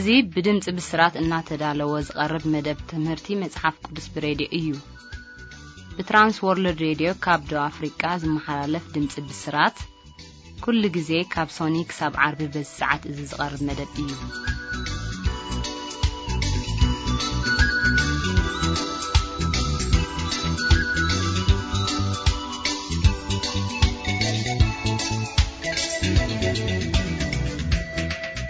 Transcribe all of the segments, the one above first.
እዚ ብድምጺ ብስራት እናተዳለወ ዝቐርብ መደብ ትምህርቲ መጽሓፍ ቅዱስ ብሬድዮ እዩ። ብትራንስ ወርልድ ሬድዮ ካብ ደቡብ ኣፍሪቃ ዝመሓላለፍ ድምጺ ብስራት፣ ኩሉ ግዜ ካብ ሶኒ ክሳብ ዓርቢ በዚ ሰዓት እዚ ዝቐርብ መደብ እዩ።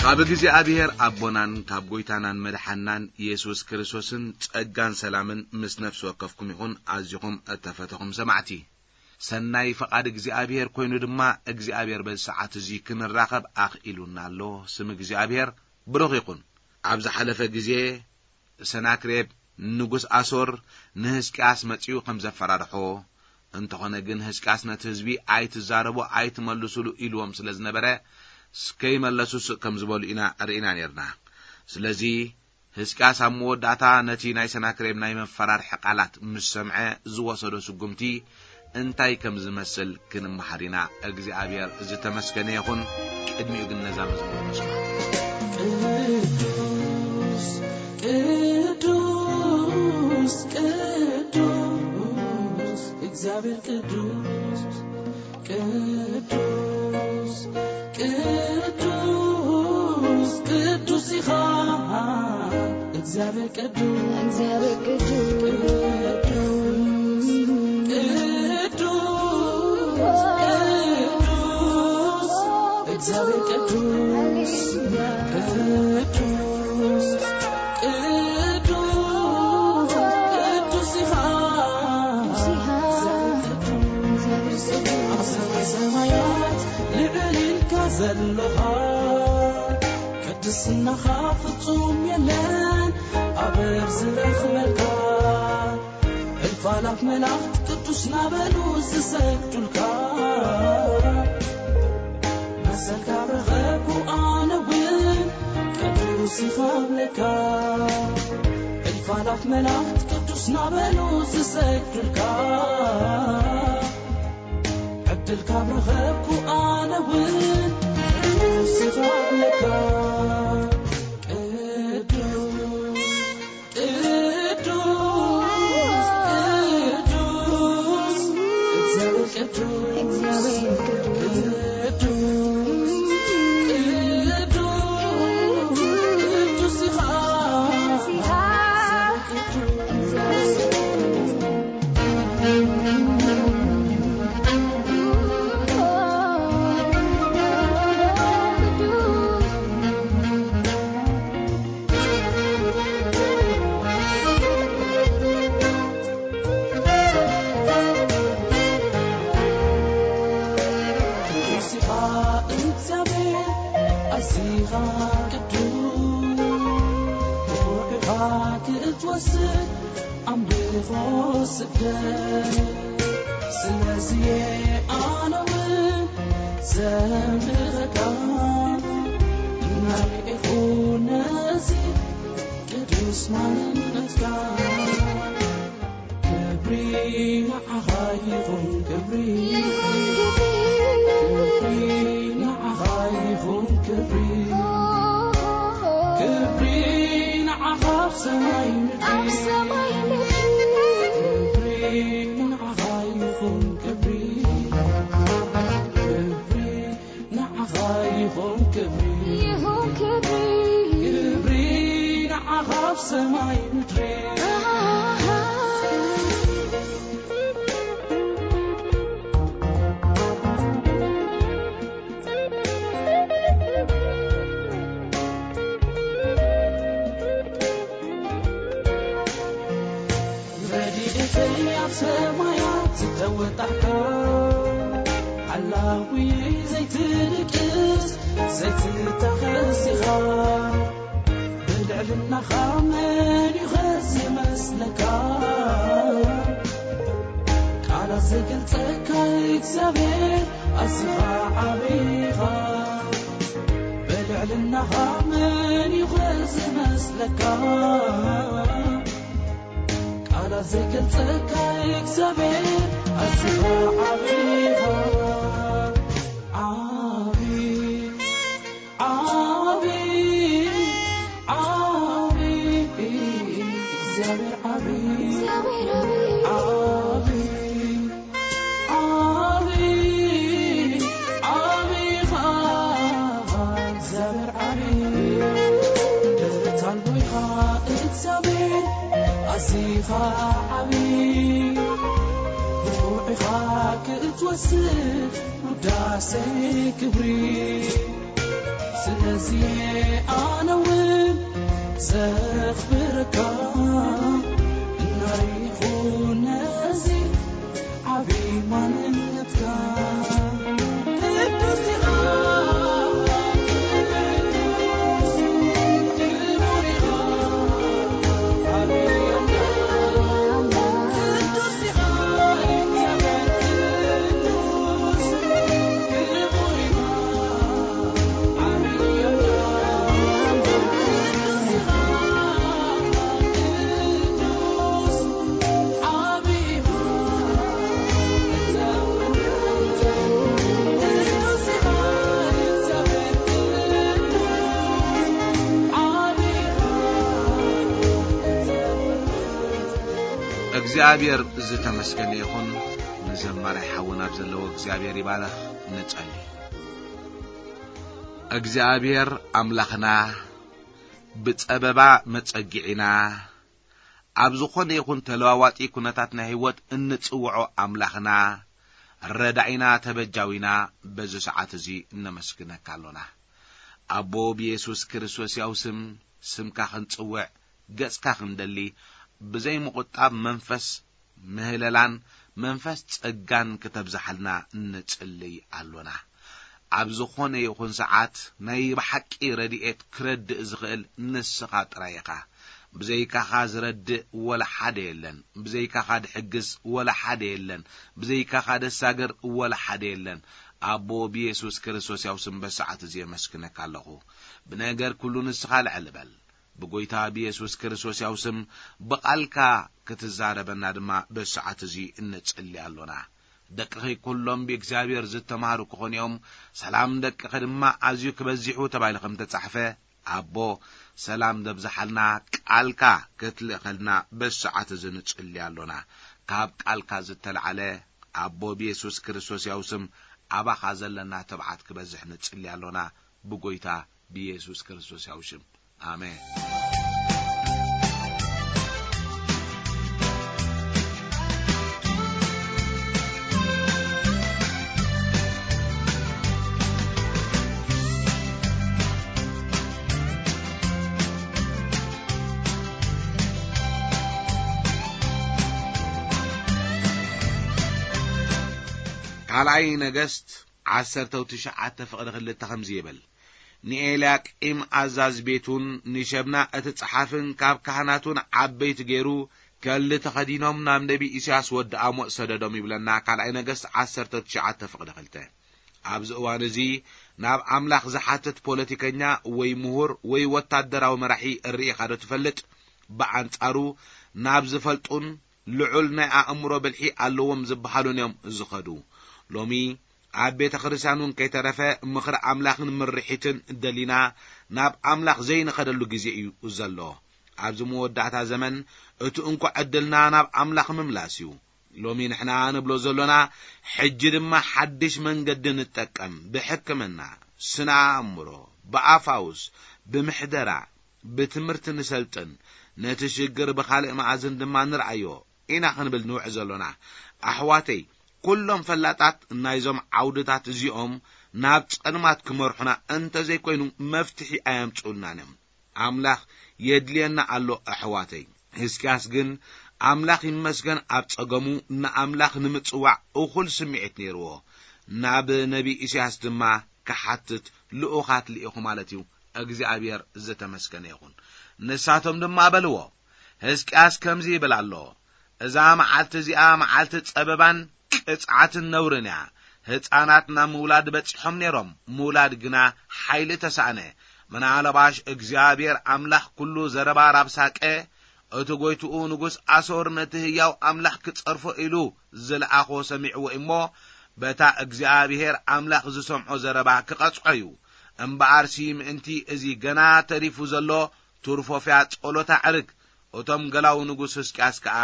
ካብ እግዚኣብሔር ኣቦናን ካብ ጐይታናን መድሓናን ኢየሱስ ክርስቶስን ጸጋን ሰላምን ምስ ነፍሲ ወከፍኩም ይኹን። ኣዚኹም እተፈተኹም ሰማዕቲ፣ ሰናይ ፈቓድ እግዚኣብሔር ኮይኑ ድማ እግዚኣብሔር በዚ ሰዓት እዚ ክንራኸብ ኣኽኢሉና ኣሎ። ስም እግዚኣብሔር ብሩኽ ይኹን። ኣብ ዝሓለፈ ግዜ ሰናክሬም ንጉስ ኣሶር ንህዝቅያስ መጺኡ ከም ዘፈራርሖ፣ እንተኾነ ግን ህዝቅያስ ነቲ ህዝቢ ኣይትዛረቡ ኣይትመልሱሉ ኢልዎም ስለ ዝነበረ፣ ከይመለሱ ስቕ ከም ዝበሉ ኢና ርኢና ነርና። ስለዚ ህዝቅያስ ኣብ መወዳእታ ነቲ ናይ ሰናክሬም ናይ መፈራርሒ ቃላት ምስ ሰምዐ ዝወሰዶ ስጉምቲ እንታይ ከም ዝመስል ክንመሃር ኢና። እግዚኣብሔር ዝተመስገነ ይኹን። ቅድሚኡ ግን ነዛ መዝሙር ንስማ። ቅዱስ፣ ቅዱስ፣ ቅዱስ፣ እግዚኣብሔር ቅዱስ፣ ቅዱስ፣ ቅዱስ፣ ቅዱስ ኢኻ እግዚኣብሔር ቅዱስ፣ እግዚኣብሔር ቅዱስ፣ ቅዱስ፣ ቅዱስ፣ ቅዱስ፣ እግዚኣብሔር ቅዱስ፣ ሃሌሉያ። ቅዱስ፣ ቅዱስ፣ ቅዱስ ኢኻ፣ እግዚኣብሔር ቅዱስ፣ ኣብ ሰማይ ሰማያት ልዕል ኢልካ ዘለኻ፣ ቅድስናኻ ፍጹም የለን ኣበር ዝረኽበካ። እልፍ ኣላፍ መላእኽት ቅዱስ ናበሉ ዝሰግዱልካ፣ መሰልካ ረኸብኩ ኣነ እውን ቅዱስ ይኸብለካ። እልፍ ኣላፍ መላእኽት ቅዱስ ናበሉ ዝሰግዱልካ፣ ዕድልካ ረኸብኩ ኣነ እውን ቅዱስ ይኸብለካ። ቅዱስ ቅዱስ፣ ቅዱስ፣ እግዚኣብሔር ቅዱስ፣ እግዚኣብሔር ቅዱስ፣ ቅዱስ፣ ቅዱስ ኢኻ፣ ቅዱስ ኢኻ፣ እግዚኣብሔር ቅዱስ። ቅዱስ ኢኻ እግዚኣብሔር፣ ኣዚኻ ቅዱስ፣ ብኹርዕኻ ክትወስድ ኣምልኾ ስግደት። ስለዚ ኣነ እውን ዘምልኸካ፣ እናርኤኹ ነዚ ቅዱስ ማንነትካ። ክብሪ ንዓኻ ይኹን፣ ክብሪ፣ ክብሪ ንዓኻ ይኹን፣ ክብሪ፣ ክብሪ ንዓኻ ኣብ ሰማይ ምድሪ። ኣብ ሰማይ ምድሪ። ክብሪ ንዓኻ ይኹን፣ ክብሪ፣ ክብሪ ንዓኻ ይኹን ክብሪ። ይኹን ክብሪ። ክብሪ ንዓኻ ኣብ ሰማይ ምድሪ። ኣሃ። ረድኤተይ ኣብ ሰማያት ዝተወጣሕካ፣ ሓላዊየይ ዘይትድቅስ ዘይትታኸስ ኢኻ። ብልዕልናኻ መን እዩ ኸ ዝመስለካ? ቃላት ዘይገልጸካ እግዚኣብሔር ኣዚኻ ዓቢ ኢኻ። ብልዕልናኻ መን እዩ ኸ ዝመስለካ? ቃላት ዘይገልጸካ እግዚኣብሔር ኣዚኻ ዓቢ ኢኻ። ዓቢ፣ ዓቢ፣ እዚኻ ዓቢ ብቑዕ ኢኻ ክትወስድ ውዳሴ ክብሪ። ስለዚ ኣነ እውን ዘኽብረካ እናሪኹ ነዚ ዓቢ ማንነትካ። ቅዱስ ኢኻ፣ ክቡር ኢኻ፣ ዓቢ ኣምላኽ። ቅዱስ ኢኻ፣ እግዚኣብሔር ቅዱስ፣ ክቡር ኢኻ። እግዚኣብሔር ዝተመስገነ ይኹን። ንዘማራይ ሓውና ኣብ ዘለዎ እግዚኣብሔር ይባረኽ። ንጸሊ። እግዚኣብሔር ኣምላኽና፣ ብጸበባ መጸጊዒና፣ ኣብ ዝኾነ ይኹን ተለዋዋጢ ኩነታት ናይ ህይወት እንጽውዖ ኣምላኽና፣ ረዳኢና፣ ተበጃዊና፣ በዚ ሰዓት እዚ እነመስግነካ ኣሎና። ኣቦ፣ ብየሱስ ክርስቶስ ያው ስም፣ ስምካ ክንጽውዕ፣ ገጽካ ክንደሊ፣ ብዘይ ምቑጣብ መንፈስ ምህለላን መንፈስ ጸጋን ክተብዝሓልና ንጽልይ ኣሎና። ኣብ ዝኾነ ይኹን ሰዓት ናይ ብሓቂ ረድኤት ክረድእ ዝኽእል ንስኻ ጥራይ ኢኻ። ብዘይካኻ ዝረድእ ወላ ሓደ የለን። ብዘይካኻ ድሕግዝ ወላ ሓደ የለን። ብዘይካኻ ደሳገር ወላ ሓደ የለን። ኣቦ፣ ብየሱስ ክርስቶስ ያው ስም በሰዓት እዚ የመስግነካ ኣለኹ። ብነገር ኩሉ ንስኻ ልዕል በል። ብጎይታ ብየሱስ ክርስቶስ ያው ስም ብቓልካ ክትዛረበና ድማ በሰዓት እዚ እንጽሊ ኣሎና። ደቅኺ ኩሎም ብእግዚኣብሔር ዝተማህሩ ክኾኑ እዮም፣ ሰላም ደቅኺ ድማ ኣዝዩ ክበዚሑ ተባሂሉ ከም ተጻሕፈ፣ ኣቦ፣ ሰላም ዘብዝሓልና ቃልካ ክትልእኸልና በሰዓት እዚ ንጽሊ ኣሎና። ካብ ቃልካ ዝተልዓለ፣ ኣቦ፣ ብየሱስ ክርስቶስ ያው ስም ኣባኻ ዘለና ትብዓት ክበዝሕ ንጽሊ ኣሎና። ብጎይታ ብየሱስ ክርስቶስ ያው ሽም፣ ኣሜን። ካልኣይ ነገስት ዓሰርተ ትሽዓተ ፍቕዲ ክልተ ከምዚ ይብል፣ ንኤልያቂም ኣዛዝ ቤቱን ንሸብና እቲ ጸሓፍን ካብ ካህናቱን ዓበይቲ ገይሩ፣ ከሊ ተኸዲኖም ናብ ነቢ ኢሳያስ ወዲ ኣሞጽ ሰደዶም ይብለና። ካልኣይ ነገስት ዓሰርተ ትሽዓተ ፍቕዲ ክልተ። ኣብዚ እዋን እዚ ናብ ኣምላኽ ዝሓትት ፖለቲከኛ ወይ ምሁር ወይ ወታደራዊ መራሒ ርኢኻ ዶ ትፈልጥ? ብኣንጻሩ ናብ ዝፈልጡን ልዑል ናይ ኣእምሮ ብልሒ ኣለዎም ዝበሃሉን እዮም ዝኸዱ። ሎሚ ኣብ ቤተ ክርስቲያን እውን ከይተረፈ ምኽሪ ኣምላኽን ምርሒትን ደሊና ናብ ኣምላኽ ዘይንኸደሉ ግዜ እዩ ዘሎ። ኣብዚ መወዳእታ ዘመን እቲ እንኮ ዕድልና ናብ ኣምላኽ ምምላስ እዩ። ሎሚ ንሕና ንብሎ ዘሎና፣ ሕጂ ድማ ሓድሽ መንገዲ ንጠቀም፣ ብሕክምና፣ ስነ ኣእምሮ፣ ብኣፋውስ፣ ብምሕደራ፣ ብትምህርቲ ንሰልጥን፣ ነቲ ሽግር ብኻልእ መኣዝን ድማ ንርኣዮ ኢና ክንብል ንውዕ ዘሎና። ኣሕዋተይ፣ ኩሎም ፈላጣት ናይዞም ዓውድታት እዚኦም ናብ ጸልማት ክመርሑና እንተዘይኮይኑ መፍትሒ ኣየምጽኡልናን እዮም። ኣምላኽ የድልየና ኣሎ ኣሕዋተይ። ህዝቅያስ ግን ኣምላኽ ይመስገን ኣብ ጸገሙ ንኣምላኽ ንምጽዋዕ እኹል ስምዒት ነይርዎ። ናብ ነቢ ኢሳያስ ድማ ክሓትት ልኡኻት ልኢኹ ማለት እዩ። እግዚኣብሔር ዝተመስገነ ይኹን። ንሳቶም ድማ በልዎ፣ ህዝቅያስ ከምዚ ይብል ኣሎ፣ እዛ መዓልቲ እዚኣ መዓልቲ ጸበባን ቅጽዓትን ነውርን እያ። ህጻናት ናብ ምውላድ በጺሖም ነይሮም፣ ምውላድ ግና ሓይሊ ተሳእነ። ምናልባሽ እግዚኣብሔር ኣምላኽ ኩሉ ዘረባ ራብሳቀ፣ እቲ ጎይትኡ ንጉስ ኣሶር ነቲ ህያው ኣምላኽ ክጸርፎ ኢሉ ዝለኣኾ ሰሚዕዎ እሞ፣ በታ እግዚኣብሔር ኣምላኽ ዝሰምዖ ዘረባ ክቐጽዖ እዩ። እምበኣርሲ ምእንቲ እዚ ገና ተሪፉ ዘሎ ትርፎፍያ ጸሎት ኣዕርግ። እቶም ገላዉ ንጉስ ህዝቅያስ ከኣ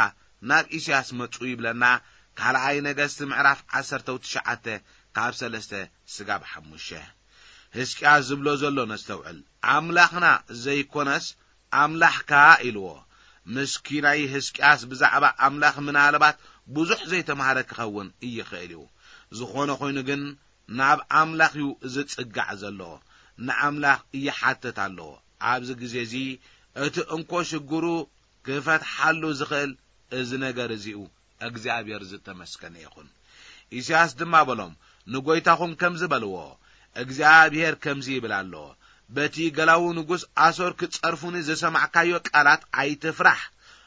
ናብ ኢሳያስ መጹ ይብለና። ካልኣይ ነገስት ምዕራፍ ዓሰርተ ትሽዓተ ካብ ሰለስተ ስጋብ ሓሙሽተ። ህዝቅያስ ዝብሎ ዘሎ ነስተውዕል። ኣምላኽና ዘይኮነስ ኣምላኽካ ኢልዎ። ምስኪናይ ህዝቅያስ ብዛዕባ ኣምላኽ ምናልባት ብዙሕ ዘይተማህረ ክኸውን ይኽእል እዩ። ዝኾነ ኮይኑ ግን ናብ ኣምላኽ እዩ ዝጽጋዕ ዘሎ። ንኣምላኽ ይሓትት ኣሎ። ኣብዚ ግዜ እዚ እቲ እንኮ ሽግሩ ክፈትሓሉ ዝኽእል እዚ ነገር እዚ እዩ። እግዚኣብሔር ዝተመስገነ ይኹን። ኢሳያስ ድማ በሎም፣ ንጎይታኹም ከምዚ በልዎ፣ እግዚኣብሔር ከምዚ ይብል ኣሎ፣ በቲ ገላዉ ንጉስ ኣሶር ክጸርፉኒ ዝሰማዕካዮ ቃላት ኣይትፍራሕ።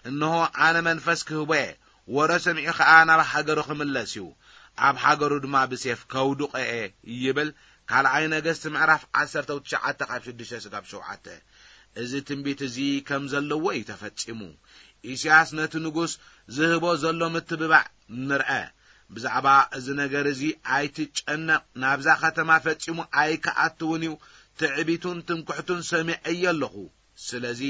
እንሆ ኣነ መንፈስ ክህቦ እየ፣ ወረ ሰሚዑ ኸኣ ናብ ሃገሩ ክምለስ እዩ፣ ኣብ ሃገሩ ድማ ብሴፍ ከውድቖ እየ ይብል። ካልኣይ ነገስት ምዕራፍ ዓሰርተ ትሽዓተ ካብ ሽዱሽተ ስጋብ ሸውዓተ። እዚ ትንቢት እዚ ከም ዘለዎ እዩ ተፈጺሙ። ኢሳያስ ነቲ ንጉስ ዝህቦ ዘሎ ምትብባዕ ንርአ። ብዛዕባ እዚ ነገር እዚ ኣይትጨነቕ፣ ናብዛ ከተማ ፈጺሙ ኣይክኣትውን እዩ፣ ትዕቢቱን ትምክሕቱን ሰሚዐዮ ኣለኹ። ስለዚ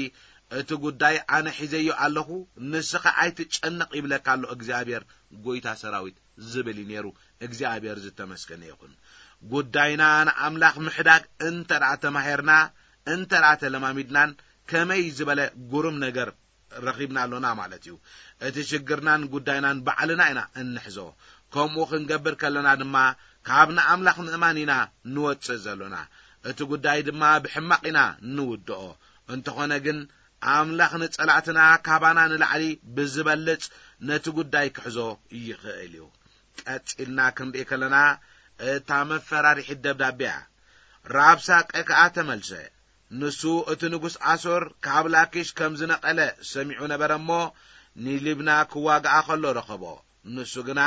እቲ ጉዳይ ኣነ ሒዘዮ ኣለኹ፣ ንስኻ ኣይትጨነቕ ይብለካ ኣሎ እግዚኣብሔር፣ ጎይታ ሰራዊት ዝብል እዩ ነይሩ። እግዚኣብሔር ዝተመስገነ ይኹን። ጉዳይና ንኣምላኽ ምሕዳግ እንተ ደኣ ተማሂርና፣ እንተ ደኣ ተለማሚድናን፣ ከመይ ዝበለ ግሩም ነገር ረኺብና ኣሎና ማለት እዩ። እቲ ሽግርናን ጉዳይናን ባዕልና ኢና እንሕዞ። ከምኡ ክንገብር ከለና ድማ፣ ካብ ንኣምላኽ ምእማን ኢና ንወጽእ ዘሎና። እቲ ጉዳይ ድማ ብሕማቕ ኢና ንውድኦ። እንተኾነ ግን፣ ኣምላኽ ንጸላእትና ካባና ንላዕሊ ብዝበልጽ ነቲ ጉዳይ ክሕዞ ይኽእል እዩ። ቀጺልና ክንርኢ ከለና፣ እታ መፈራሪሒት ደብዳቤ እያ። ራብሳቄ ከኣ ተመልሰ። ንሱ እቲ ንጉስ ኣሶር ካብ ላኪሽ ከም ዝነቐለ ሰሚዑ ነበረ እሞ፣ ንሊብና ክዋግኣ ከሎ ረኸቦ። ንሱ ግና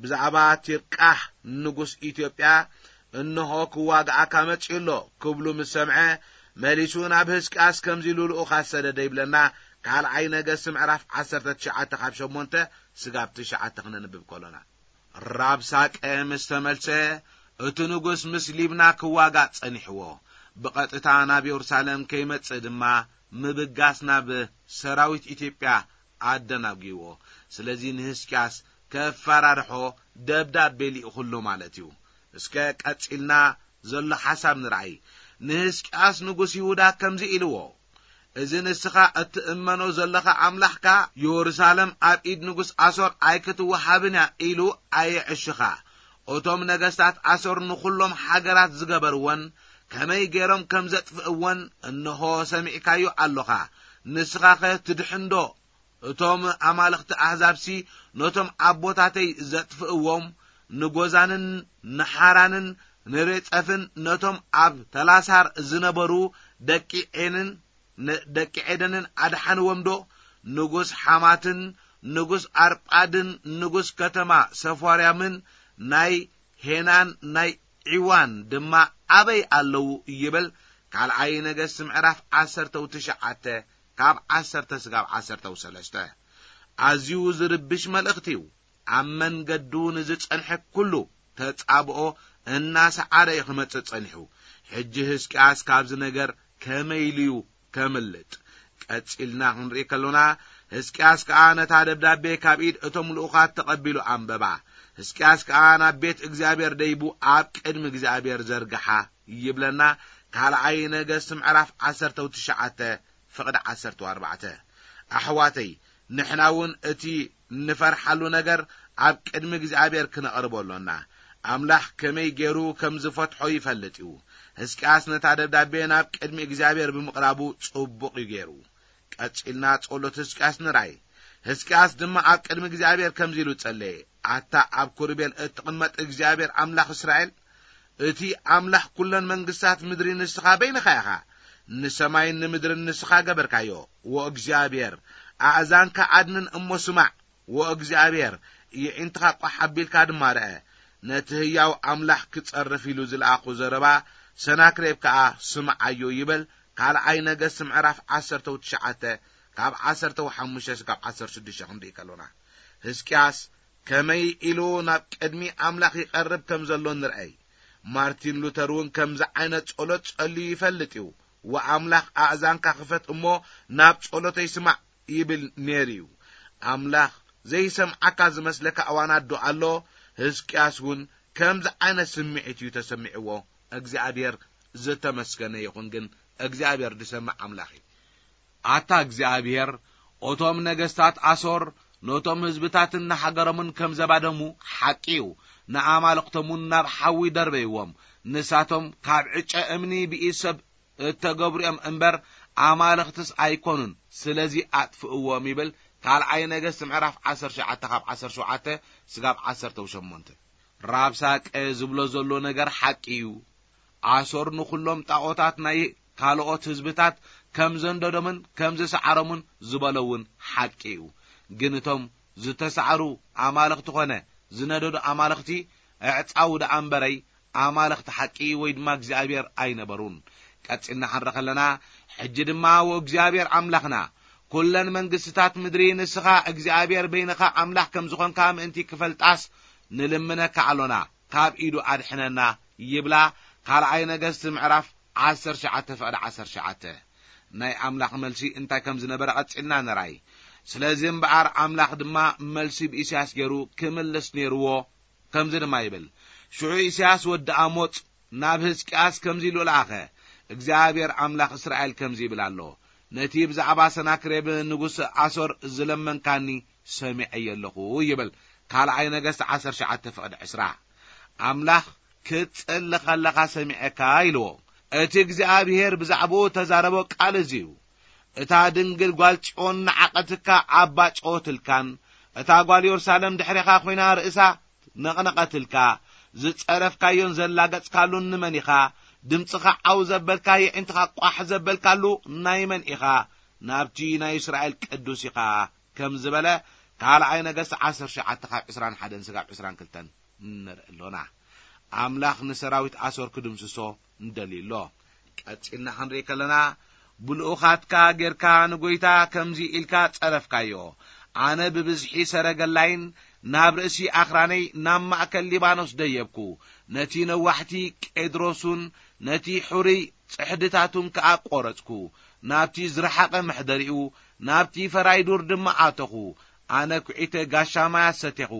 ብዛዕባ ቲርቃህ ንጉስ ኢትዮጵያ፣ "እንሆ ክዋግኣካ መጺኡ ኣሎ" ክብሉ ምስ ሰምዐ፣ መሊሱ ናብ ህዝቅያስ ከምዚ ኢሉ ልኡኻት ሰደደ ይብለና። ካልኣይ ነገስት ምዕራፍ ዓሰርተ ትሽዓተ ካብ ሸሞንተ ስጋብ ትሽዓተ ክነንብብ ከሎና። ራብሳቄ ምስ ተመልሰ፣ እቲ ንጉስ ምስ ሊብና ክዋጋእ ጸኒሕዎ። ብቐጥታ ናብ የሩሳሌም ከይመጽእ ድማ ምብጋስ ናብ ሰራዊት ኢትዮጵያ ኣደናጒዎ። ስለዚ ንህዝቅያስ ከፈራርሖ ደብዳቤ ልኢኹሉ ማለት እዩ። እስከ ቀጺልና ዘሎ ሓሳብ ንርኣይ። ንህዝቅያስ ንጉስ ይሁዳ ከምዚ ኢልዎ፣ "እዚ ንስኻ እትእመኖ ዘለኻ ኣምላኽካ፣ የሩሳሌም ኣብ ኢድ ንጉስ ኣሶር ኣይክትወሃብን እያ" ኢሉ ኣየዕሽኻ። እቶም ነገስታት ኣሶር ንኹሎም ሃገራት ዝገበርዎን ከመይ ገይሮም ከም ዘጥፍእዎን እንሆ ሰሚዕካዮ ኣሎኻ። ንስኻኸ ትድሕንዶ? እቶም ኣማልኽቲ ኣህዛብሲ ነቶም ኣቦታተይ ዘጥፍእዎም፣ ንጎዛንን ንሓራንን ንሬጸፍን ነቶም ኣብ ተላሳር ዝነበሩ ደቂ ዔንን ን-፣ ደቂ ዔደንን ኣድሓንዎምዶ? ንጉስ ሓማትን ንጉስ ኣርጳድን ንጉስ ከተማ ሰፋርያምን ናይ ሄናን ናይ ዒዋን ድማ ኣበይ ኣለዉ? ይብል። ካልኣይ ነገስት ምዕራፍ ዓሰርተው ትሽዓተ ካብ ዓሰርተ ስጋብ ዓሰርተው ሰለስተ። ኣዝዩ ዝርብሽ መልእኽቲ እዩ። ኣብ መንገዱ ንዝጸንሐ ኩሉ ተጻብኦ እናሰዓረ እዩ ክመጽእ ጸኒሑ። ሕጂ ህዝቅያስ ካብዚ ነገር ከመይ ኢሉ እዩ ከምልጥ? ቀጺልና ክንርኢ ከሎና፣ ህዝቅያስ ከኣ ነታ ደብዳቤ ካብ ኢድ እቶም ልኡኻት ተቐቢሉ ኣንበባ። ህዝቅያስ ከኣ ናብ ቤት እግዚኣብሔር ደይቡ ኣብ ቅድሚ እግዚኣብሔር ዘርግሓ ይብለና። ካልኣይ ነገስት ምዕራፍ ዓሰርተው ትሽዓተ ፍቕዲ ዓሰርተው ኣርባዕተ። ኣሕዋተይ፣ ንሕና እውን እቲ ንፈርሓሉ ነገር ኣብ ቅድሚ እግዚኣብሔር ክነቕርቦ ኣሎና። ኣምላኽ ከመይ ገይሩ ከም ዝፈትሖ ይፈልጥ እዩ። ህዝቅያስ ነታ ደብዳቤ ናብ ቅድሚ እግዚኣብሔር ብምቕራቡ ጽቡቕ እዩ ገይሩ። ቀጺልና ጸሎት ህዝቅያስ ንርኣይ። ህዝቅያስ ድማ ኣብ ቅድሚ እግዚኣብሔር ከምዚ ኢሉ ጸለየ፣ "ኣታ ኣብ ኮርቤል እትቕመጥ እግዚኣብሔር ኣምላኽ እስራኤል፣ እቲ ኣምላኽ ኩለን መንግስታት ምድሪ ንስኻ በይንኻ ኢኻ። ንሰማይን ንምድርን ንስኻ ገበርካዮ። ወእግዚኣብሔር፣ ኣእዛንካ ኣድንን እሞ ስማዕ። ወእግዚኣብሔር፣ የዒንትኻ ቋሕ ኣቢልካ ድማ ርአ። ነቲ ህያው ኣምላኽ ክጸርፍ ኢሉ ዝለኣኹ ዘረባ ሰናክሬብ ከኣ ስምዓዮ" ይብል። ካልኣይ ነገስት ምዕራፍ ዓሰርተው ትሽዓተ ካብ ዓሰርተው ሓሙሽተ ስጋብ ዓሰርተ ሽዱሽተ ክንርኢ ከሎና፣ ህዝቅያስ ከመይ ኢሉ ናብ ቅድሚ ኣምላኽ ይቐርብ ከም ዘሎ ንርኣይ። ማርቲን ሉተር እውን ከምዚ ዓይነት ጸሎት ጸልዩ ይፈልጥ እዩ። "ወኣምላኽ ኣእዛንካ ክፈት እሞ ናብ ጸሎተይ ስማዕ" ይብል ነይሩ እዩ። ኣምላኽ ዘይሰምዓካ ዝመስለካ እዋናት ዶ ኣሎ? ህዝቅያስ እውን ከምዚ ዓይነት ስምዒት እዩ ተሰሚዕዎ። እግዚኣብሔር ዝተመስገነ ይኹን፣ ግን እግዚኣብሔር ዝሰምዕ ኣምላኽ እዩ። ኣታ እግዚኣብሔር እቶም ነገስታት ኣሶር ነቶም ህዝብታትን ንሃገሮምን ከም ዘባደሙ ሓቂ እዩ። ንኣማልኽቶም እውን ናብ ሓዊ ደርበይዎም። ንሳቶም ካብ ዕጨ እምኒ ብኢድ ሰብ እተገብሩ እዮም እምበር፣ ኣማልኽትስ ኣይኮኑን። ስለዚ ኣጥፍእዎም ይብል ካልኣይ ነገስት ምዕራፍ ዓሰርተ ትሽዓተ ካብ ዓሰርተ ሸውዓተ ስጋብ ዓሰርተ ሸሞንተ። ራብሳቀ ዝብሎ ዘሎ ነገር ሓቂ እዩ። ኣሶር ንኹሎም ጣዖታት ናይ ካልኦት ህዝብታት ከም ዘንደዶምን ከም ዝሰዓሮምን ዝበሎ እውን ሓቂ እዩ። ግን እቶም ዝተሳዕሩ ኣማልኽቲ ኾነ ዝነደዱ ኣማልኽቲ ኣዕጻው ደኣ እምበረይ ኣማልኽቲ ሓቂ ወይ ድማ እግዚኣብሔር ኣይነበሩን። ቀጺልና ክንርኢ ከለና፣ ሕጂ ድማ ወእግዚኣብሔር ኣምላኽና፣ ኩለን መንግስትታት ምድሪ ንስኻ እግዚኣብሔር በይንኻ ኣምላኽ ከም ዝኾንካ ምእንቲ ክፈልጣስ ንልምነካ ኣሎና፣ ካብ ኢዱ ኣድሕነና ይብላ። ካልኣይ ነገስት ምዕራፍ ዓሰርተ ትሽዓተ ፍቕዲ ዓሰርተ ትሽዓተ። ናይ ኣምላኽ መልሲ እንታይ ከም ዝነበረ ቀጺልና ንርኣይ። ስለዚ እምበኣር ኣምላኽ ድማ መልሲ ብኢሳያስ ገይሩ ክምልስ ነይርዎ። ከምዚ ድማ ይብል፣ ሽዑ ኢሳያስ ወዲ ኣሞጽ ናብ ህዝቅያስ ከምዚ ኢሉ ለኣኸ፣ እግዚኣብሔር ኣምላኽ እስራኤል ከምዚ ይብል ኣሎ፣ ነቲ ብዛዕባ ሰናክሬብ ንጉስ ኣሶር ዝለመንካኒ ሰሚዐዮ ኣለኹ ይብል። ካልኣይ ነገስት ዓሰርተ ትሽዓተ ፍቕዲ ዕስራ። ኣምላኽ ክትጸሊ ከለኻ ሰሚዐካ ኢልዎ። እቲ እግዚኣብሔር ብዛዕባኡ ተዛረቦ ቃል እዚ እዩ። እታ ድንግል ጓል ጽዮን ንዓቐትካ ኣባ ጨወትልካን፣ እታ ጓል የሩሳሌም ድሕሬኻ ኮይና ርእሳ ነቕነቐትልካ፣ ዝጸረፍካዮን ዘላገጽካሉን ንመን ኢኻ? ድምጽኻ ዓው ዘበልካ፣ የዒንትኻ ቋሕ ዘበልካሉ ናይ መን ኢኻ? ናብቲ ናይ እስራኤል ቅዱስ ኢኻ፣ ከም ዝበለ ካልኣይ ነገስት ዓሰርተ ትሽዓተ ካብ ዕስራን ሓደን ስጋብ ዕስራን ክልተን ንርኢ ኣሎና። ኣምላኽ ንሰራዊት ኣሶር ክድምስሶ እንደልዩ ኣሎ። ቀጺልና ክንርኢ ከለና፣ ብልኡኻትካ ጌርካ ንጎይታ ከምዚ ኢልካ ጸረፍካዮ፣ ኣነ ብብዝሒ ሰረገላይን ናብ ርእሲ ኣኽራነይ ናብ ማእከል ሊባኖስ ደየብኩ፣ ነቲ ነዋሕቲ ቄድሮሱን ነቲ ሕሩይ ጽሕድታቱን ከኣ ቈረጽኩ፣ ናብቲ ዝረሓቐ መሕደሪኡ፣ ናብቲ ፈራይ ዱር ድማ ኣተኹ። ኣነ ኲዒተ ጋሻ ማያት ሰቴኹ፣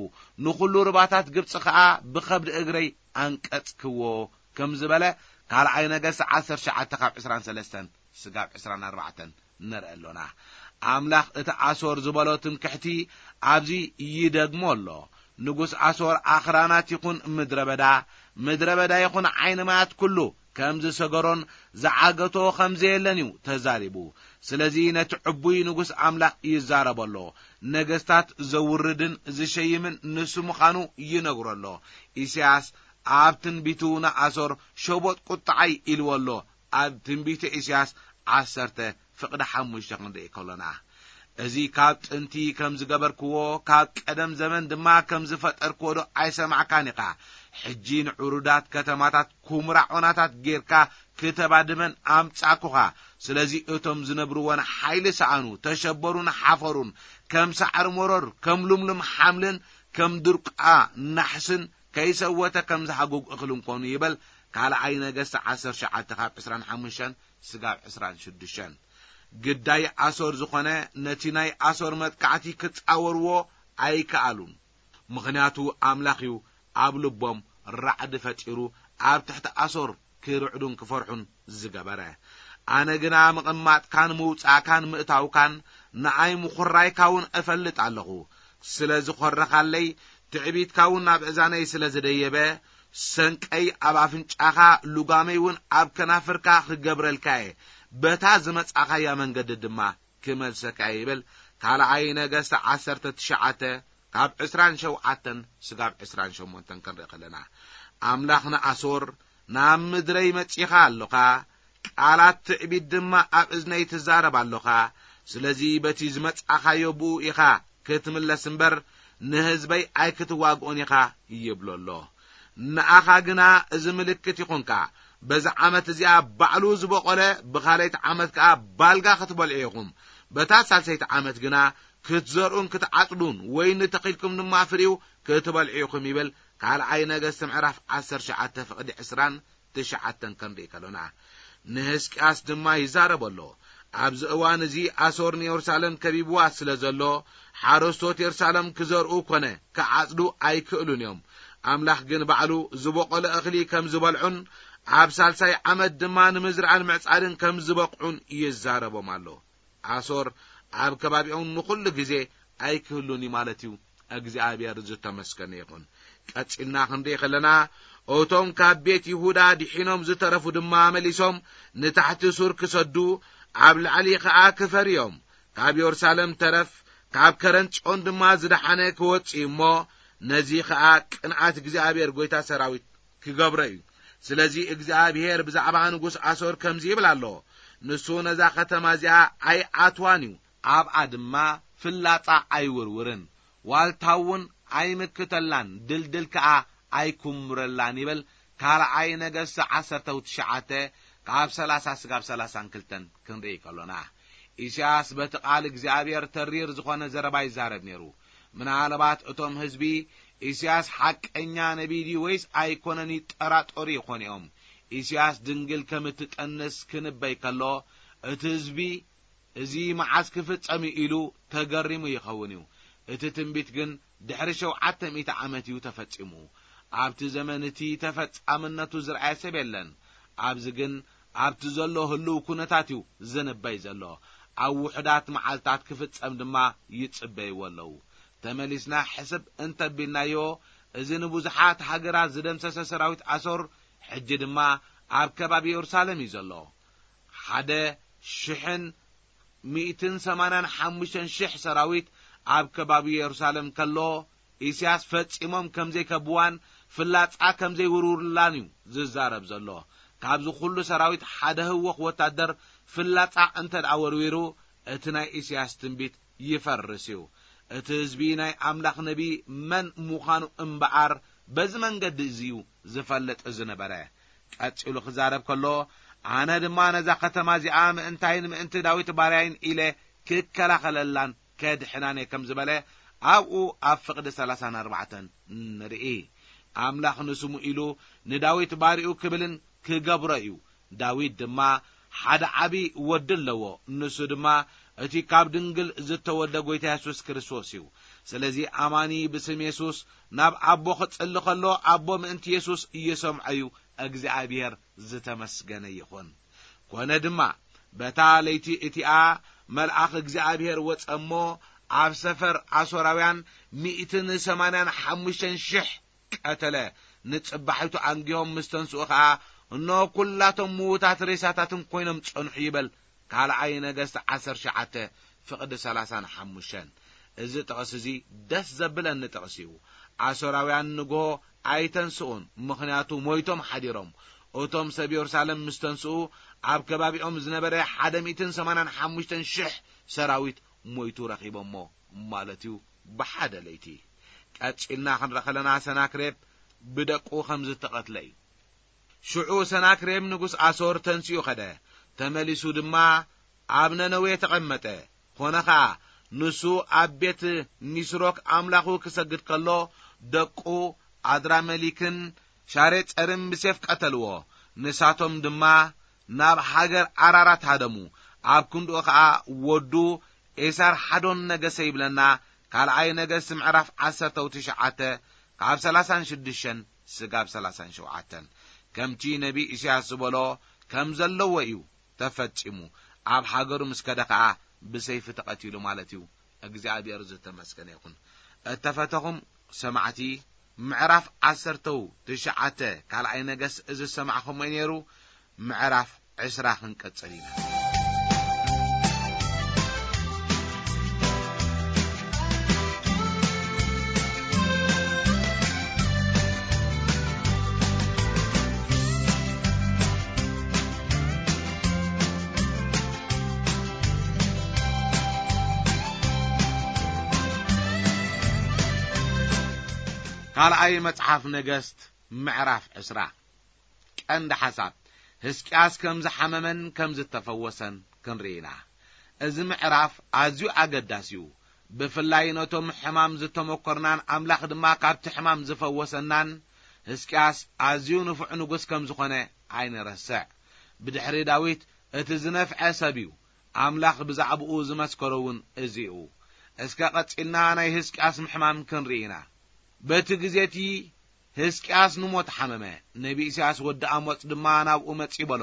ንኹሉ ሩባታት ግብጺ ኸኣ ብኸብዲ እግረይ ኣንቀጽክዎ፣ ከም ዝበለ ካልኣይ ነገስት ዓሰርተ ትሽዓተ ካብ ዕስራን ሰለስተን ስጋብ ዕስራን ኣርባዕተን ንርኢ ኣሎና። ኣምላኽ እቲ ኣሶር ዝበሎ ትምክሕቲ ኣብዚ ይደግሞ ኣሎ። ንጉስ ኣሶር ኣኽራናት ይኹን ምድረ በዳ፣ ምድረ በዳ ይኹን ዓይኒ ማያት ኩሉ ከም ዝሰገሮን ዝዓገቶ ከም ዘየለን እዩ ተዛሪቡ። ስለዚ ነቲ ዕቡይ ንጉስ ኣምላኽ ይዛረቦ ኣሎ። ነገስታት ዘውርድን ዝሸይምን ንሱ ምዃኑ ይነግሮ ኣሎ። ኢሳያስ ኣብ ትንቢቱ ንኣሶር ሸቦጥ ቁጥዓይ ኢልዎ ኣሎ። ኣብ ትንቢተ ኢሳያስ ዓሰርተ ፍቕዲ ሓሙሽተ ክንርኢ ከሎና፣ እዚ ካብ ጥንቲ ከም ዝገበርክዎ፣ ካብ ቀደም ዘመን ድማ ከም ዝፈጠርክዎ ዶ ኣይሰማዕካን ኢኻ? ሕጂ ንዕሩዳት ከተማታት ኩምራ ዖናታት ጌርካ ክተባድመን ኣምጻእኩኻ። ስለዚ እቶም ዝነብርወን ሓይሊ ሰኣኑ፣ ተሸበሩን ሓፈሩን፣ ከም ሳዕሪ መሮር፣ ከም ልምሉም ሓምልን ከም ድርቋ ናሕስን ከይሰወተ ከም ዝሃጉግ እኽልን ኮኑ ይበል። ካልኣይ ነገስት ዓሰርተ ትሽዓተ ካብ ዕስራን ሓሙሽተን ስጋብ ዕስራን ሽዱሽተን። ግዳይ ኣሶር ዝኾነ ነቲ ናይ ኣሶር መጥቃዕቲ ክጻወርዎ ኣይከኣሉን። ምኽንያቱ ኣምላኽ እዩ ኣብ ልቦም ራዕዲ ፈጢሩ ኣብ ትሕቲ ኣሶር ክርዕዱን ክፈርሑን ዝገበረ። ኣነ ግና ምቕማጥካን ምውጻእካን ምእታውካን ንኣይ ምኹራይካ እውን እፈልጥ ኣለኹ። ስለ ዝኾረኻለይ ትዕቢትካ እውን ናብ እዛነይ ስለ ዝደየበ፣ ሰንቀይ ኣብ ኣፍንጫኻ፣ ልጓመይ እውን ኣብ ከናፍርካ ክገብረልካ እየ። በታ ዝመጻኻያ መንገዲ ድማ ክመልሰካ እየ ይብል። ካልኣይ ነገስት ዓሰርተ ትሽዓተ ካብ ዕስራን ሸውዓተን ስጋብ ዕስራን ሸሞንተን ክንርኢ ከለና፣ ኣምላኽ ንኣሶር ናብ ምድረይ መጺኻ ኣሎኻ፣ ቃላት ትዕቢት ድማ ኣብ እዝነይ ትዛረብ ኣሎኻ። ስለዚ በቲ ዝመጻኻዮ ብኡ ኢኻ ክትምለስ እምበር ንህዝበይ ኣይክትዋግኦን ኢኻ ይብሎ ኣሎ። ንኣኻ ግና እዚ ምልክት ይኹንካ። በዛ ዓመት እዚኣ ባዕሉ ዝበቖለ፣ ብኻልኣይቲ ዓመት ከኣ ባልጋ ክትበልዑ ኢኹም። በታ ሳልሰይቲ ዓመት ግና ክትዘርኡን ክትዓጽዱን፣ ወይኒ ተኺልኩም ድማ ፍሪኡ ክትበልዑ ኢኹም ይብል። ካልኣይ ነገስት ምዕራፍ ዓሰርተ ትሽዓተ ፍቕዲ ዕስራን ትሽዓተን ክንርኢ ከሎና፣ ንህዝቅያስ ድማ ይዛረብ ኣሎ። ኣብዚ እዋን እዚ ኣሶር ንየሩሳሌም ከቢብዋ ስለ ዘሎ፣ ሓረስቶት የሩሳሌም ክዘርኡ ኮነ ክዓጽዱ ኣይክእሉን እዮም። ኣምላኽ ግን ባዕሉ ዝበቖለ እኽሊ ከም ዝበልዑን ኣብ ሳልሳይ ዓመት ድማ ንምዝራእን ምዕጻድን ከም ዝበቕዑን ይዛረቦም ኣሎ። ኣሶር ኣብ ከባቢኦም ንኹሉ ግዜ ኣይክህሉን እዩ ማለት እዩ። እግዚኣብሔር ዝተመስገነ ይኹን። ቀጺልና ክንርኢ ከለና፣ እቶም ካብ ቤት ይሁዳ ድሒኖም ዝተረፉ ድማ መሊሶም ንታሕቲ ሱር ክሰዱ፣ ኣብ ላዕሊ ኸኣ ክፈርዮም፣ ካብ የሩሳሌም ተረፍ፣ ካብ ከረን ጽዮን ድማ ዝደሓነ ክወጽእ እዩ እሞ፣ ነዚ ኸኣ ቅንኣት እግዚኣብሔር ጐይታ ሰራዊት ክገብሮ እዩ። ስለዚ እግዚኣብሔር ብዛዕባ ንጉስ ኣሶር ከምዚ ይብል ኣሎ፣ ንሱ ነዛ ኸተማ እዚኣ ኣይኣትዋን እዩ፣ ኣብኣ ድማ ፍላጻ ኣይውርውርን፣ ዋልታ እውን ኣይምክተላን፣ ድልድል ከኣ ኣይኩምረላን ይብል። ካልኣይ ነገስት ዓሰርተ ትሽዓተ ካብ ሰላሳ ስጋብ ሰላሳን ክልተን ክንርኢ ከሎና፣ ኢሳያስ በቲ ቃል እግዚኣብሔር ተሪር ዝኾነ ዘረባ ይዛረብ ነይሩ። ምናልባት እቶም ህዝቢ ኢሳያስ ሓቀኛ ነቢይ ድዩ ወይስ ኣይኮነን ይጠራጠሩ ይኾኑ እዮም። ኢሳያስ ድንግል ከም እትጠንስ ክንበይ ከሎ፣ እቲ ህዝቢ እዚ መዓስ ክፍጸም እዩ ኢሉ ተገሪሙ ይኸውን እዩ። እቲ ትንቢት ግን ድሕሪ ሸውዓተ ሚእቲ ዓመት እዩ ተፈጺሙ። ኣብቲ ዘመን እቲ ተፈጻምነቱ ዝረኣየ ሰብ የለን። ኣብዚ ግን ኣብቲ ዘሎ ህልው ኩነታት እዩ ዝንበይ ዘሎ። ኣብ ውሑዳት መዓልታት ክፍጸም ድማ ይጽበይዎ ኣለዉ። ተመሊስና ሕስብ እንተቢልናዮ፣ እዚ ንብዙሓት ሃገራት ዝደምሰሰ ሰራዊት ኣሶር ሕጂ ድማ ኣብ ከባቢ የሩሳሌም እዩ ዘሎ። ሓደ ሽሕን ሚእትን ሰማንያን ሓሙሽተን ሽሕ ሰራዊት ኣብ ከባቢ የሩሳሌም ከሎ፣ ኢሳያስ ፈጺሞም ከም ዘይከብዋን ፍላጻ ከም ዘይውርውርላን እዩ ዝዛረብ ዘሎ። ካብዚ ኩሉ ሰራዊት ሓደ ህወኽ ወታደር ፍላጻ እንተ ደኣ ወርዊሩ፣ እቲ ናይ ኢሳያስ ትንቢት ይፈርስ እዩ። እቲ ህዝቢ ናይ ኣምላኽ ነቢ መን ምዃኑ እምበኣር በዚ መንገዲ እዚ እዩ ዝፈልጥ ዝነበረ። ቀጺሉ ክዛረብ ከሎ፣ ኣነ ድማ ነዛ ከተማ እዚኣ ምእንታይን ምእንቲ ዳዊት ባርያይን ኢለ ክከላኸለላን ከድሕናን እየ ከም ዝበለ ኣብኡ ኣብ ፍቕዲ ሰላሳን ኣርባዕተን ንርኢ። ኣምላኽ ንስሙ ኢሉ ንዳዊት ባርኡ ክብልን ክገብሮ እዩ። ዳዊት ድማ ሓደ ዓቢ ወዲ ኣለዎ። ንሱ ድማ እቲ ካብ ድንግል ዝተወልደ ጐይታ የሱስ ክርስቶስ እዩ። ስለዚ ኣማኒ ብስም የሱስ ናብ ኣቦ ክጽሊ ከሎ፣ ኣቦ ምእንቲ የሱስ እየሰምዖ እዩ። እግዚኣብሔር ዝተመስገነ ይኹን። ኮነ ድማ፣ በታ ለይቲ እቲኣ መልኣኽ እግዚኣብሔር ወጸ እሞ፣ ኣብ ሰፈር ኣሶራውያን ሚእትን ሰማንያን ሓሙሽተን ሽሕ ቀተለ። ንጽባሒቱ ኣንጊሆም ምስ ተንስኡ ኸኣ፣ እነሆ ኲላቶም ምዉታት ሬሳታትን ኰይኖም ጸንሑ ይበል። ካልኣይ ነገስት ዓሰርተ ትሽዓተ ፍቕዲ ሰላሳን ሓሙሽተን። እዚ ጥቕሲ እዚ ደስ ዘብለኒ ጥቕሲ እዩ። ኣሶራውያን ንግሆ ኣይተንስኡን፣ ምኽንያቱ ሞይቶም ሓዲሮም። እቶም ሰብ የሩሳሌም ምስ ተንስኡ፣ ኣብ ከባቢኦም ዝነበረ ሓደ ሚእትን ሰማንያን ሓሙሽተን ሽሕ ሰራዊት ሞይቱ ረኺቦሞ ማለት እዩ፣ ብሓደ ለይቲ። ቀጺልና ክንርኢ ከለና፣ ሰናክሬብ ብደቁ ከም ዝተቐትለ እዩ። ሽዑ ሰናክሬም ንጉስ ኣሶር ተንሲኡ ኸደ፣ ተመሊሱ ድማ ኣብ ነነዌ ተቐመጠ። ኾነ ኸኣ፣ ንሱ ኣብ ቤት ኒስሮክ ኣምላኹ ክሰግድ ከሎ፣ ደቁ ኣድራመሊክን ሻሬጸርን ብሴፍ ቀተልዎ። ንሳቶም ድማ ናብ ሃገር ኣራራት ሃደሙ። ኣብ ክንድኡ ኸኣ ወዱ ኤሳር ሓዶን ነገሰ ይብለና። ካልኣይ ነገስት ምዕራፍ ዓሰርተ ትሽዓተ ካብ ሰላሳን ሽዱሽተን ስጋብ ሰላሳን ሸውዓተን። ከምቲ ነቢ ኢሳያስ ዝበሎ ከም ዘለዎ እዩ ተፈጺሙ። ኣብ ሃገሩ ምስ ከደ ኸኣ ብሰይፊ ተቐቲሉ ማለት እዩ። እግዚኣብሔር ዝተመስገነ ይኹን። እተፈተኹም ሰማዕቲ፣ ምዕራፍ ዓሰርተው ትሽዓተ ካልኣይ ነገስት እዚ ዝሰማዕኹሞ እዩ ነይሩ። ምዕራፍ ዕስራ ክንቀጽል ኢና። ካልኣይ መጽሓፍ ነገስት ምዕራፍ ዕስራ። ቀንዲ ሓሳብ፣ ህዝቅያስ ከም ዝሓመመን ከም ዝተፈወሰን ክንርኢ ኢና። እዚ ምዕራፍ ኣዝዩ ኣገዳሲ እዩ። ብፍላይ ነቶም ሕማም ዝተመኮርናን ኣምላኽ ድማ ካብቲ ሕማም ዝፈወሰናን ህዝቅያስ ኣዝዩ ንፉዕ ንጉስ ከም ዝኾነ ኣይንረስዕ። ብድሕሪ ዳዊት እቲ ዝነፍዐ ሰብ እዩ። ኣምላኽ ብዛዕባኡ ዝመስከሮ እውን እዚ እዩ። እስከ ቀጺልና ናይ ህዝቅያስ ምሕማም ክንርኢ ኢና። በቲ ግዜ እቲ ህዝቅያስ ንሞት ሓመመ። ነቢ ኢሳያስ ወዲ ኣሞጽ ድማ ናብኡ መጺኡ በሎ፣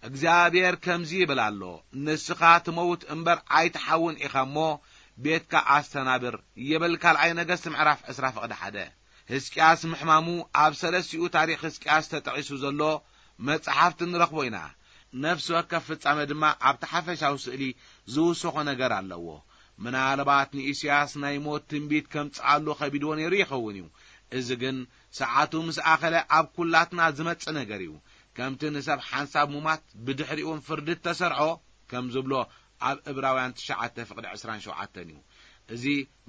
እግዚኣብሔር ከምዚ ይብል ኣሎ፣ "ንስኻ ትመውት እምበር ኣይትሓውን ኢኻ እሞ፣ ቤትካ ኣስተናብር" ይብል ካልኣይ ነገስት ምዕራፍ ዕስራ ፍቕዲ ሓደ። ህዝቅያስ ምሕማሙ ኣብ ሰለስቲኡ ታሪኽ ህዝቅያስ ተጠቒሱ ዘሎ መጽሓፍቲ ንረኽቦ ኢና። ነፍሲ ወከፍ ፍጻመ ድማ ኣብቲ ሓፈሻዊ ስእሊ ዝውስኾ ነገር ኣለዎ። ምናልባት ንኢሳያስ ናይ ሞት ትንቢት ከምጽኣሉ ከቢድዎ ነይሩ ይኸውን እዩ። እዚ ግን ሰዓቱ ምስ ኣኸለ ኣብ ኩላትና ዝመጽእ ነገር እዩ። ከምቲ ንሰብ ሓንሳብ ሙማት ብድሕሪኡን ፍርዲ እተሰርዖ፣ ከም ዝብሎ ኣብ እብራውያን ትሽዓተ ፍቕዲ ዕስራን ሸውዓተን እዩ። እዚ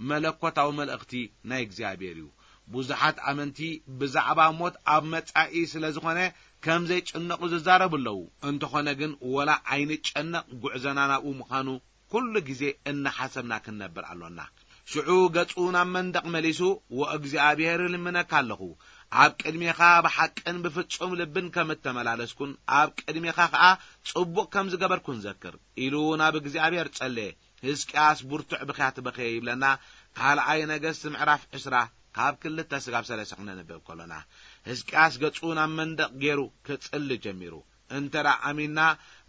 መለኮታዊ መልእኽቲ ናይ እግዚኣብሔር እዩ። ብዙሓት ኣመንቲ ብዛዕባ ሞት ኣብ መጻኢ ስለ ዝኾነ ከም ዘይጭነቑ ዝዛረቡ ኣለዉ። እንተኾነ ግን ወላ ኣይንጨነቕ፣ ጉዕዞና ናብኡ ምዃኑ ኩሉ ግዜ እናሓሰብና ክንነብር ኣሎና። ሽዑ ገጹ ናብ መንደቕ መሊሱ፣ "ወእግዚኣብሔር እልምነካ ኣለኹ፣ ኣብ ቅድሜኻ ብሓቅን ብፍጹም ልብን ከም እተመላለስኩን ኣብ ቅድሜኻ ኸኣ ጽቡቕ ከም ዝገበርኩን ዘክር" ኢሉ ናብ እግዚኣብሔር ጸለየ። ህዝቅያስ ብርቱዕ ብኽያት በኸየ ይብለና። ካልኣይ ነገስት ምዕራፍ ዕስራ ካብ ክልተ ስጋብ ሰለስተ ክነንብብ ከሎና፣ ህዝቅያስ ገጹ ናብ መንደቕ ገይሩ ክጽሊ ጀሚሩ። እንተ ደኣ ኣሚንና፣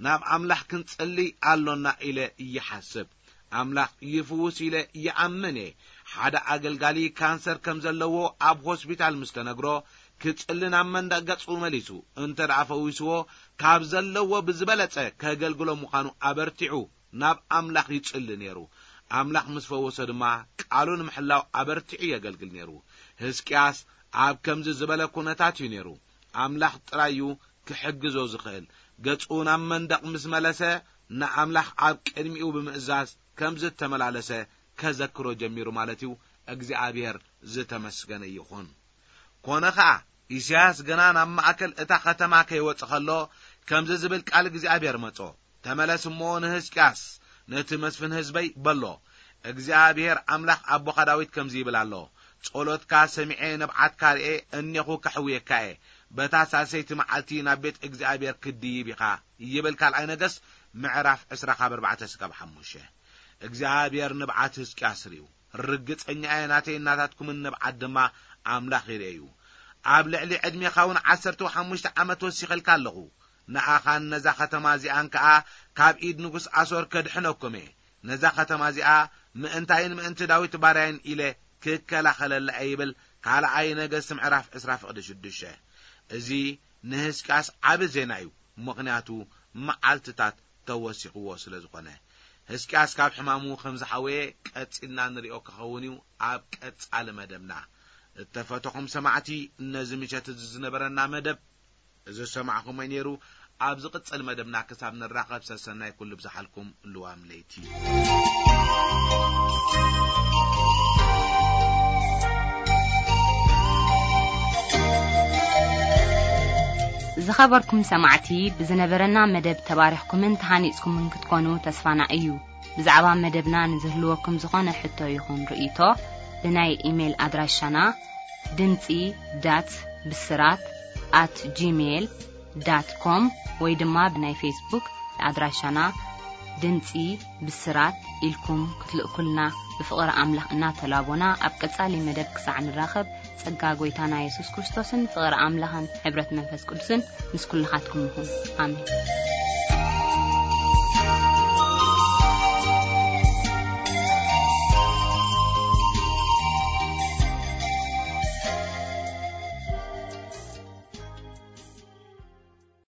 ናብ ኣምላኽ ክንጽሊ ኣሎና ኢለ ይሓስብ። ኣምላኽ ይፍውስ ኢለ ይኣምን እየ። ሓደ ኣገልጋሊ ካንሰር ከም ዘለዎ ኣብ ሆስፒታል ምስ ተነግሮ፣ ክጽሊ ናብ መንደቕ ገጹ መሊሱ፣ እንተ ደኣ ፈዊስዎ፣ ካብ ዘለዎ ብዝበለጸ ከገልግሎ ምዃኑ ኣበርቲዑ ናብ ኣምላኽ ይጽሊ ነይሩ። ኣምላኽ ምስ ፈወሶ ድማ፣ ቃሉ ንምሕላው ኣበርቲዑ የገልግል ነይሩ። ህዝቅያስ ኣብ ከምዚ ዝበለ ኩነታት እዩ ነይሩ። ኣምላኽ ጥራይ እዩ ክሕግዞ ዝኽእል። ገጹ ናብ መንደቕ ምስ መለሰ፣ ንኣምላኽ ኣብ ቅድሚኡ ብምእዛዝ ከም ዝተመላለሰ ከዘክሮ ጀሚሩ ማለት እዩ። እግዚኣብሔር ዝተመስገነ ይኹን። ኮነ ኸኣ፣ ኢሳያስ ገና ናብ ማእከል እታ ኸተማ ከይወጸ ኸሎ፣ ከምዚ ዝብል ቃል እግዚኣብሔር መጾ፣ "ተመለስ እሞ ንህዝቅያስ፣ ነቲ መስፍን ህዝበይ በሎ፣ እግዚኣብሔር ኣምላኽ ኣቦኻ ዳዊት ከምዚ ይብል ኣሎ፣ ጸሎትካ ሰሚዐ፣ ንብዓትካ ርኤ፣ እኔኹ ከሕውየካ እየ፣ በታ ሳልሰይቲ መዓልቲ ናብ ቤት እግዚኣብሔር ክትድይብ ኢኻ" ይብል ካልኣይ ነገስት ምዕራፍ ዕስራ ካብ ኣርባዕተ እስካብ ሓሙሽተ። እግዚኣብሔር ንብዓት ህዝቅያስ ርእዩ። ርግጸኛ እየ፣ ናተይ እናታትኩምን ንብዓት ድማ ኣምላኽ ይርእዩ። ኣብ ልዕሊ ዕድሜኻ እውን ዓሰርተ ሓሙሽተ ዓመት ወሲኸልካ ኣለኹ። ንኣኻን ነዛ ኸተማ እዚኣን ከኣ ካብ ኢድ ንጉስ ኣሶር ከድሕነኩም እየ። ነዛ ኸተማ እዚኣ ምእንታይን ምእንቲ ዳዊት ባርያይን ኢለ ክከላኸለላ እየ ይብል ካልኣይ ነገስት ምዕራፍ ዕስራ ፍቕዲ ሽዱሽተ። እዚ ንህዝቅያስ ዓቢ ዜና እዩ፣ ምኽንያቱ መዓልትታት ተወሲኽዎ ስለ ዝኾነ። ህዝቅያስ ካብ ሕማሙ ከም ዝሓወየ ቀጺልና ንሪኦ ክኸውን እዩ ኣብ ቀጻሊ መደብና። እተፈተኹም ሰማዕቲ፣ ነዚ ምሸት እዚ ዝነበረና መደብ እዚ ዝሰማዕኹሞ ነይሩ። ኣብ ዝቕጽል መደብና ክሳብ ንራኸብ ሰሰናይ ኩሉ ብዝሓልኩም ልዋም ለይቲ። ዝኸበርኩም ሰማዕቲ፣ ብዝነበረና መደብ ተባሪኽኩምን ተሃኒጽኩምን ክትኮኑ ተስፋና እዩ። ብዛዕባ መደብና ንዝህልወኩም ዝኾነ ሕቶ ይኹን ርእይቶ፣ ብናይ ኢሜይል ኣድራሻና ድምጺ ዳት ብስራት ኣት ጂሜይል ዳት ኮም ወይ ድማ ብናይ ፌስቡክ ኣድራሻና ድምጺ ብስራት ኢልኩም ክትልእኩልና ብፍቕሪ ኣምላኽ እናተላቦና፣ ኣብ ቀጻሊ መደብ ክሳዕ ንራኸብ፣ ጸጋ ጐይታና የሱስ ክርስቶስን ፍቕሪ ኣምላኽን ሕብረት መንፈስ ቅዱስን ምስ ኩልኻትኩም ይኹን። ኣሜን።